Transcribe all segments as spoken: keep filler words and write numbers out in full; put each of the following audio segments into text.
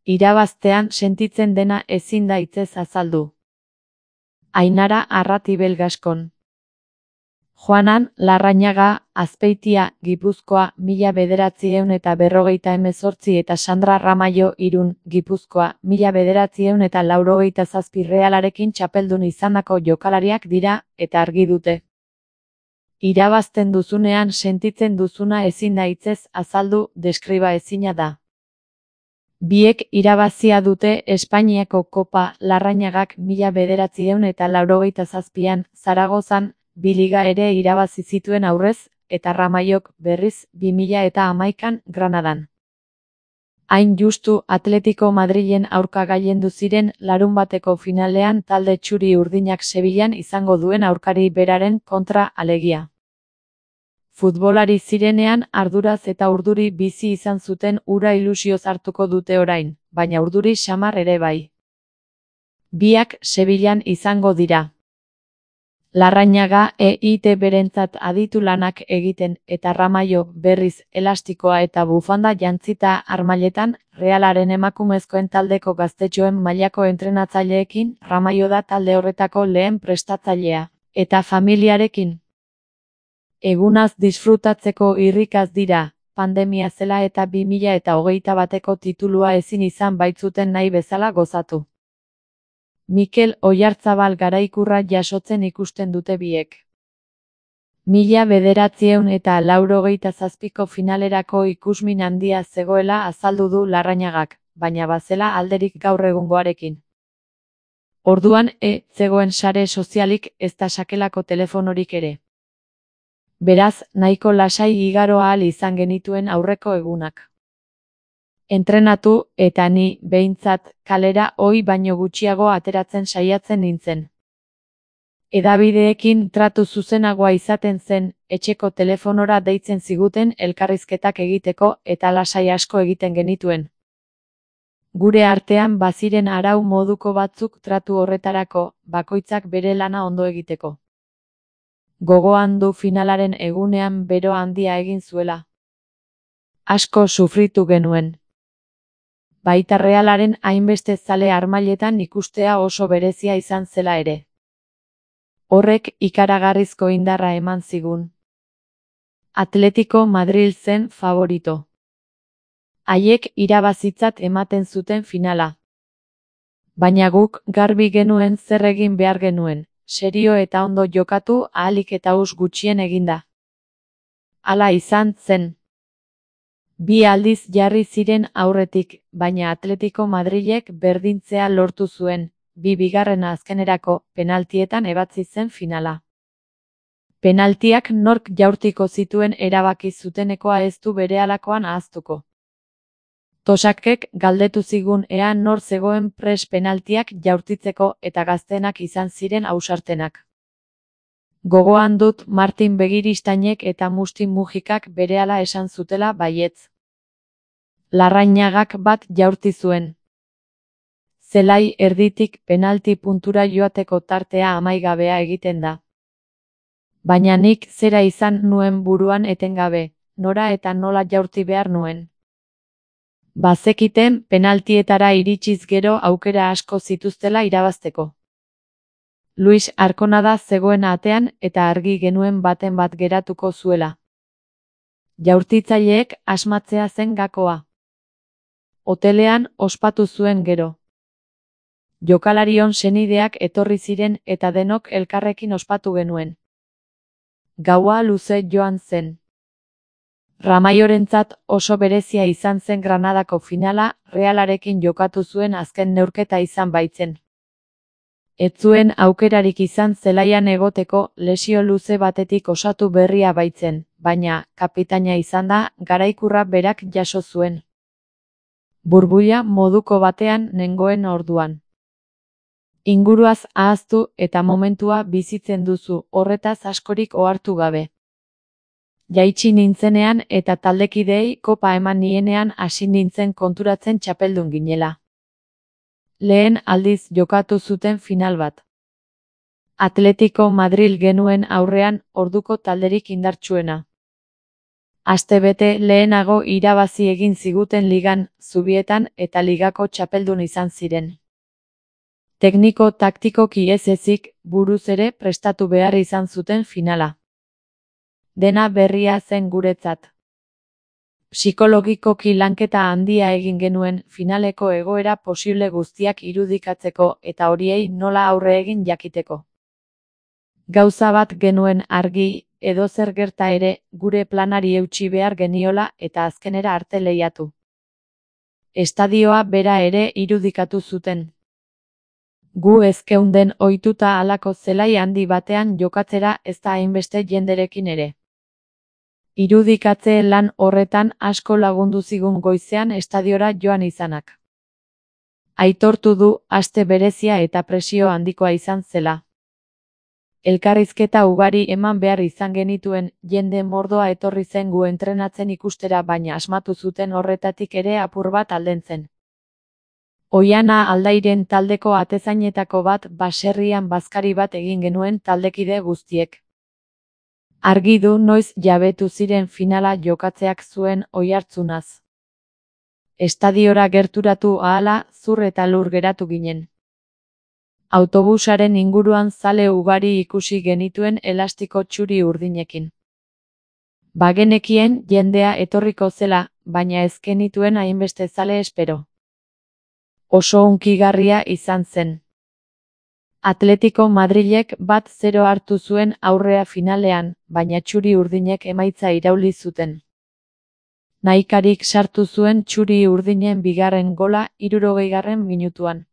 Irabaztean sentitzen dena ezin da hitzez azaldu. Ainara Arratibel Gaskon. Juanan Larrañaga, Azpeitia, Gipuzkoa, mila bederatziehun eta berrogeita hemezortzi eta Sandra Ramayo, Irun, Gipuzkoa, mila bederatziehun eta laurogeita zazpi Realarekin txapeldun izandako jokalariak dira, eta argi dute. Irabazten duzunean sentitzen duzuna ezin da hitzez azaldu, deskriba ezina da. Biek irabazia dute Espainiako Kopa, Larrañagak mila bederatziehun eta laurogeita zazpian, Zaragozan, bi liga ere irabazi zituen aurrez, eta Ramayok, berriz, bi mila eta hamaikan, Granadan. Hain justu Atletico Madrilen aurka gailendu ziren larunbateko finalean talde txuri urdinak Sevillan izango duen aurkari beraren kontra alegia. Futbolari zirenean arduraz eta urduri bizi izan zuten ura ilusioz hartuko dute orain, baina urduri xamar ere bai. Biak Sevillan izango dira. Larrañaga E I T berentzat aditu lanak egiten eta Ramayo, berriz, elastikoa eta bufanda jantzita armailetan, Realaren emakumezkoen taldeko gaztetxoen mailako entrenatzaileekin, Ramayo da talde horretako lehen prestatzailea, eta familiarekin. Egunaz disfrutatzeko irrikaz dira, pandemia zela eta bi mila eta hogeita bateko titulua ezin izan baitzuten nahi bezala gozatu. Mikel Oyarzabal garaikurra jasotzen ikusten dute biek. Mila bederatziehun eta laurogeita zazpiko finalerako ikusmin handia zegoela azaldu du Larrañagak, baina bazela alderik gaur egungoarekin. Orduan e zegoen sare sozialik ez da sakelako telefonorik ere. Beraz, nahiko lasai igaro ahal izan genituen aurreko egunak. Entrenatu, eta ni, behintzat, kalera ohi baino gutxiago ateratzen saiatzen nintzen. Hedabideekin tratu zuzenagoa izaten zen, etxeko telefonora deitzen ziguten elkarrizketak egiteko eta lasai asko egiten genituen. Gure artean baziren arau moduko batzuk tratu horretarako, bakoitzak bere lana ondo egiteko. Gogoan du finalaren egunean bero handia egin zuela. Asko sufritu genuen. Baita Realaren hainbeste zale armailetan ikustea oso berezia izan zela ere. Horrek ikaragarrizko indarra eman zigun. Atletico Madril zen favorito. Haiek irabazitzat ematen zuten finala. Baina guk garbi genuen zer egin behar genuen. Serio eta ondo jokatu ahalik eta us gutxien eginda. Hala izan zen. Bi aldiz jarri ziren aurretik, baina Atletico Madrilek berdintzea lortu zuen, bi bigarrena azkenerako penaltietan ebatzi zen finala. Penaltiak nork jaurtiko zituen erabaki zutenekoa ez du berehalakoan ahaztuko. Tosakek galdetu zigun ea nor zegoen pres penaltiak jaurtitzeko eta gaztenak izan ziren ausartenak. Gogoan dut Martin Begiristainek eta Musti Mujikak berehala esan zutela baietz. Larrañagak bat jaurti zuen. Zelai erditik penalti puntura joateko tartea amaigabea egiten da. Baina nik zera izan nuen buruan etengabe, nora eta nola jaurti behar nuen. Bazekiten penaltietara iritsiz gero aukera asko zituztela irabazteko. Luis Arkonada zegoen atean eta argi genuen baten bat geratuko zuela. Jaurtitzaileek asmatzea zen gakoa. Hotelean ospatu zuen gero. Jokalarion senideak etorri ziren eta denok elkarrekin ospatu genuen. Gaua luze joan zen. Ramayorentzat oso berezia izan zen Granadako finala, Realarekin jokatu zuen azken neurketa izan baitzen. Ez zuen aukerarik izan zelaian egoteko lesio luze batetik osatu berria baitzen, baina, kapitaina izan da, garaikurra berak jaso zuen. Burbuila moduko batean nengoen orduan. Inguruaz ahaztu eta momentua bizitzen duzu, horretaz askorik ohartu gabe. Jaitsi nintzenean eta taldekideei kopa eman nienean hasi nintzen konturatzen txapeldun ginela. Lehen aldiz jokatu zuten final bat. Atletico Madril genuen aurrean orduko talderik indartsuena. Astebete lehenago irabazi egin ziguten ligan, Zubietan eta ligako txapeldun izan ziren. Tekniko taktikoki ez ezik, buruz ere prestatu behar izan zuten finala. Dena berria zen guretzat. Psikologikoki lanketa handia egin genuen finaleko egoera posible guztiak irudikatzeko eta horiei nola aurre egin jakiteko. Gauza bat genuen argi, edozer gerta ere, gure planari eutsi behar geniola eta azkenera arte lehiatu. Estadioa bera ere irudikatu zuten. Gu ezkeunden ohituta halako zelai handi batean jokatzera ez da hainbeste jenderekin ere. Irudikatze lan horretan asko lagundu zigun goizean estadiora joan izanak. Aitortu du, aste berezia eta presio handikoa izan zela. Elkarrizketa ugari eman behar izan genituen, jende mordoa etorri zen gu entrenatzen ikustera baina asmatu zuten horretatik ere apur bat aldentzen. Oiana Aldairen taldeko atezainetako bat baserrian bazkari bat egin genuen taldekide guztiek. Argi du noiz jabetu ziren finala jokatzeak zuen oihartzunaz. Estadiora gerturatu ahala zur eta lur geratu ginen. Autobusaren inguruan zale ugari ikusi genituen elastiko txuri urdinekin. Bagenekien jendea etorriko zela, baina ez genituen hainbeste zale espero. Oso hunkigarria izan zen. Atletico Madrilek bat zero hartu zuen aurrea finalean, baina txuri urdinek emaitza irauli zuten. Nahikarik sartu zuen txuri urdinen bigarren gola hirurogeigarren minutuan.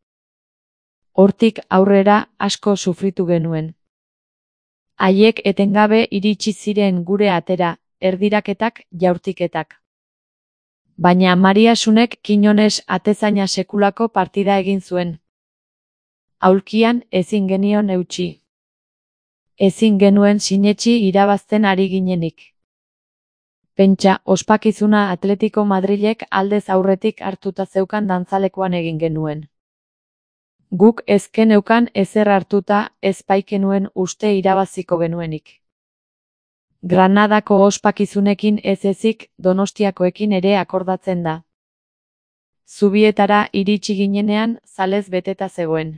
Hortik aurrera asko sufritu genuen. Haiek etengabe iritsi ziren gure atera, erdiraketak, jaurtiketak. Baina Mariasunek Quiñones atezaina sekulako partida egin zuen. Aulkian ezin genion eutsi. Ezin genuen sinetsi irabazten ari ginenik. Pentsa, ospakizuna Atletico Madrilek aldez aurretik hartuta zeukan dantzalekuan egin genuen. Guk ez geneukan ezer hartuta, ez baikenuen uste irabaziko genuenik. Granadako ospakizunekin ez ezik, Donostiakoekin ere akordatzen da. Zubietara iritsi ginenean, zalez beteta zegoen.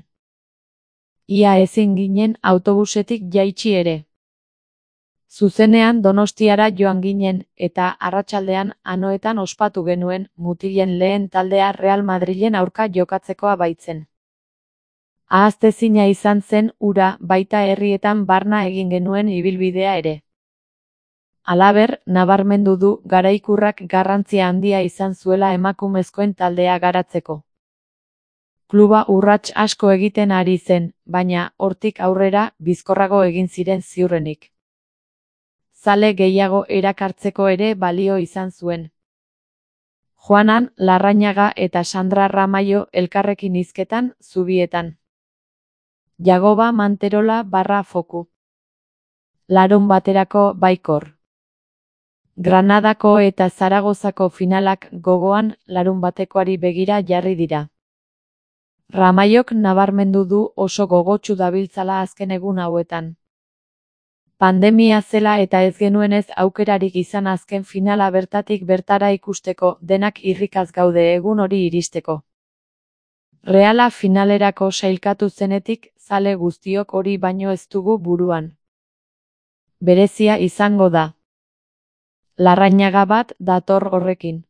Ia ezin ginen autobusetik jaitsi ere. Zuzenean Donostiara joan ginen, eta arratsaldean Anoetan ospatu genuen, mutilen lehen taldea Real Madrilen aurka jokatzekoa baitzen. Ahaztezina izan zen ura, baita herrietan barna egin genuen ibilbidea ere. Halaber, nabarmendu du garaikurrak garrantzia handia izan zuela emakumezkoen taldea garatzeko. Kluba urrats asko egiten ari zen, baina hortik aurrera bizkorrago egin ziren ziurrenik. Zale gehiago erakartzeko ere balio izan zuen. Juanan, Larrañaga eta Sandra Ramayo elkarrekin hizketan, Zubietan. Jagoba Manterola barra foku. Larun baterako baikor. Granadako eta Zaragozako finalak gogoan larun batekoari begira jarri dira. Ramayok nabarmendu du oso gogotsu dabiltzala azken egun hauetan. Pandemia zela eta ez genuenez aukerarik izan azken finala bertatik bertara ikusteko, denak irrikaz gaude egun hori iristeko. Reala finalerako sailkatu zenetik, zale guztiok hori baino ez dugu buruan. Berezia izango da. Larrañaga bat dator horrekin.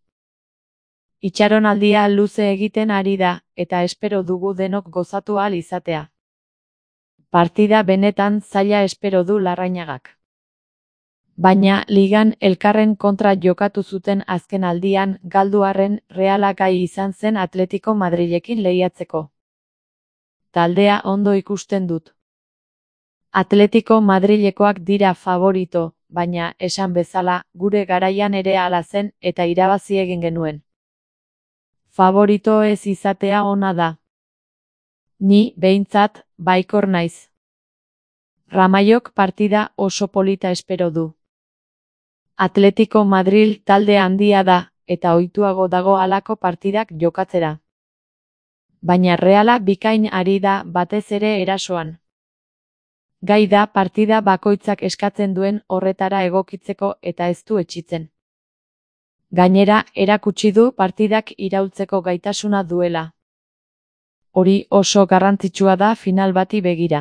Itxaronaldia luze egiten ari da, eta espero dugu denok gozatu ahal izatea. Partida benetan zaila espero du Larrañagak. Baina ligan elkarren kontra jokatu zuten azken aldian galdu arren Reala gai izan zen Atletico Madrilekin lehiatzeko. Taldea ondo ikusten dut. Atletico Madrilekoak dira favorito, baina esan bezala gure garaian ere hala zen eta irabazi egin genuen. Favorito ez izatea ona da. Ni, behintzat, baikor naiz. Ramayok partida oso polita espero du. Atletico Madril talde handia da, eta ohituago dago halako partidak jokatzera. Baina Reala bikain ari da batez ere erasoan. Gai da partida bakoitzak eskatzen duen horretara egokitzeko eta ez du etsitzen. Gainera, erakutsi du partidak iraultzeko gaitasuna duela. Hori oso garrantzitsua da final bati begira.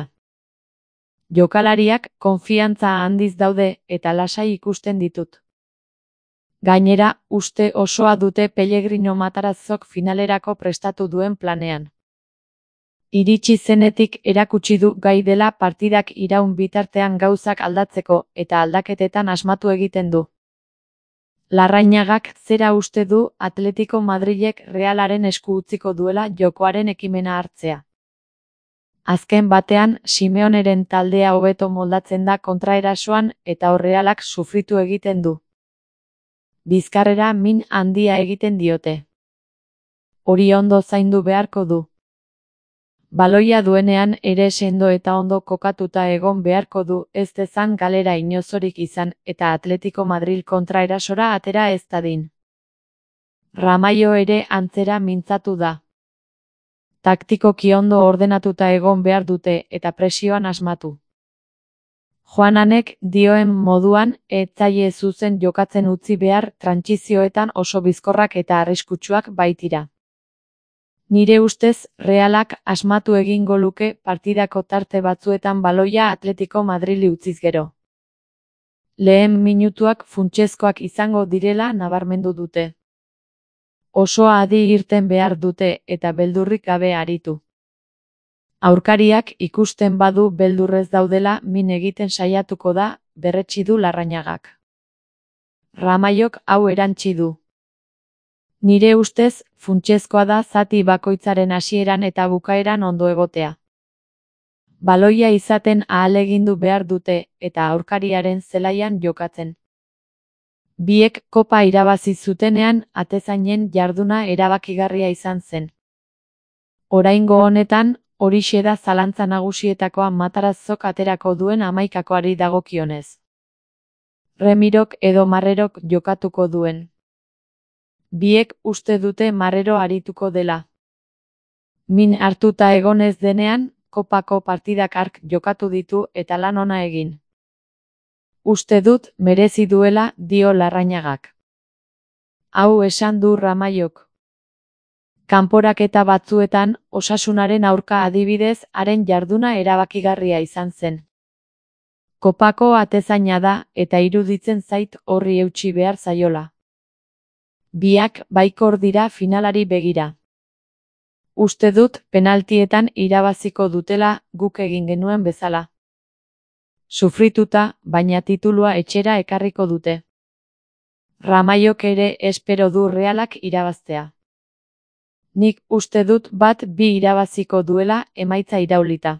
Jokalariak konfiantza handiz daude eta lasai ikusten ditut. Gainera, uste osoa dute Pellegrino Matarazzok finalerako prestatu duen planean. Iritsi zenetik erakutsi du gai dela partidak iraun bitartean gauzak aldatzeko eta aldaketetan asmatu egiten du. Larrañagak zera uste du Atletico Madrilek Realaren esku utziko duela jokoaren ekimena hartzea. Azken batean, Simeoneren taldea hobeto moldatzen da kontraerasoan eta Realak sufritu egiten du. Bizkarrera min handia egiten diote. Hori ondo zaindu beharko du. Baloia duenean ere sendo eta ondo kokatuta egon beharko du ez dezan galera inozorik izan eta Atletico Madril kontraerasora atera ez dadin. Ramallo ere antzera mintzatu da. Taktikoki ondo ordenatuta egon behar dute eta presioan asmatu. Juananek dioen moduan ez zaie zuzen jokatzen utzi behar trantsizioetan oso bizkorrak eta arriskutsuak baitira. Nire ustez, Realak asmatu egingo luke partidako tarte batzuetan baloia Atletico Madrili utziz gero. Lehen minutuak funtsezkoak izango direla nabarmendu dute. Osoa adi irten behar dute eta beldurrik gabe aritu. Aurkariak ikusten badu beldurrez daudela min egiten saiatuko da, berretsi du Larrañagak. Ramallok hau erantsi du. Nire ustez, funtsezkoa da zati bakoitzaren hasieran eta bukaeran ondo egotea. Baloia izaten ahalegindu behar dute eta aurkariaren zelaian jokatzen. Biek kopa irabazi zutenean atezainen jarduna erabakigarria izan zen. Oraingo honetan, horixe da zalantza nagusietakoa Matarazzok aterako duen hamaikakoari dagokionez. Remirok edo Marrerok jokatuko duen. Biek uste dute Marrero arituko dela. Min hartuta egonez denean, kopako partidak hark jokatu ditu eta lan ona egin. Uste dut merezi duela dio Larrañagak. Hau esan du Ramallok. Kanporaketa batzuetan, Osasunaren aurka adibidez haren jarduna erabakigarria izan zen. Kopako atezaina da eta iruditzen zait horri eutsi behar zaiola. Biak baikor dira finalari begira. Uste dut penaltietan irabaziko dutela guk egin genuen bezala. Sufrituta, baina titulua etxera ekarriko dute. Ramallok ere espero du Realak irabaztea. Nik uste dut bat bi irabaziko duela emaitza iraulita.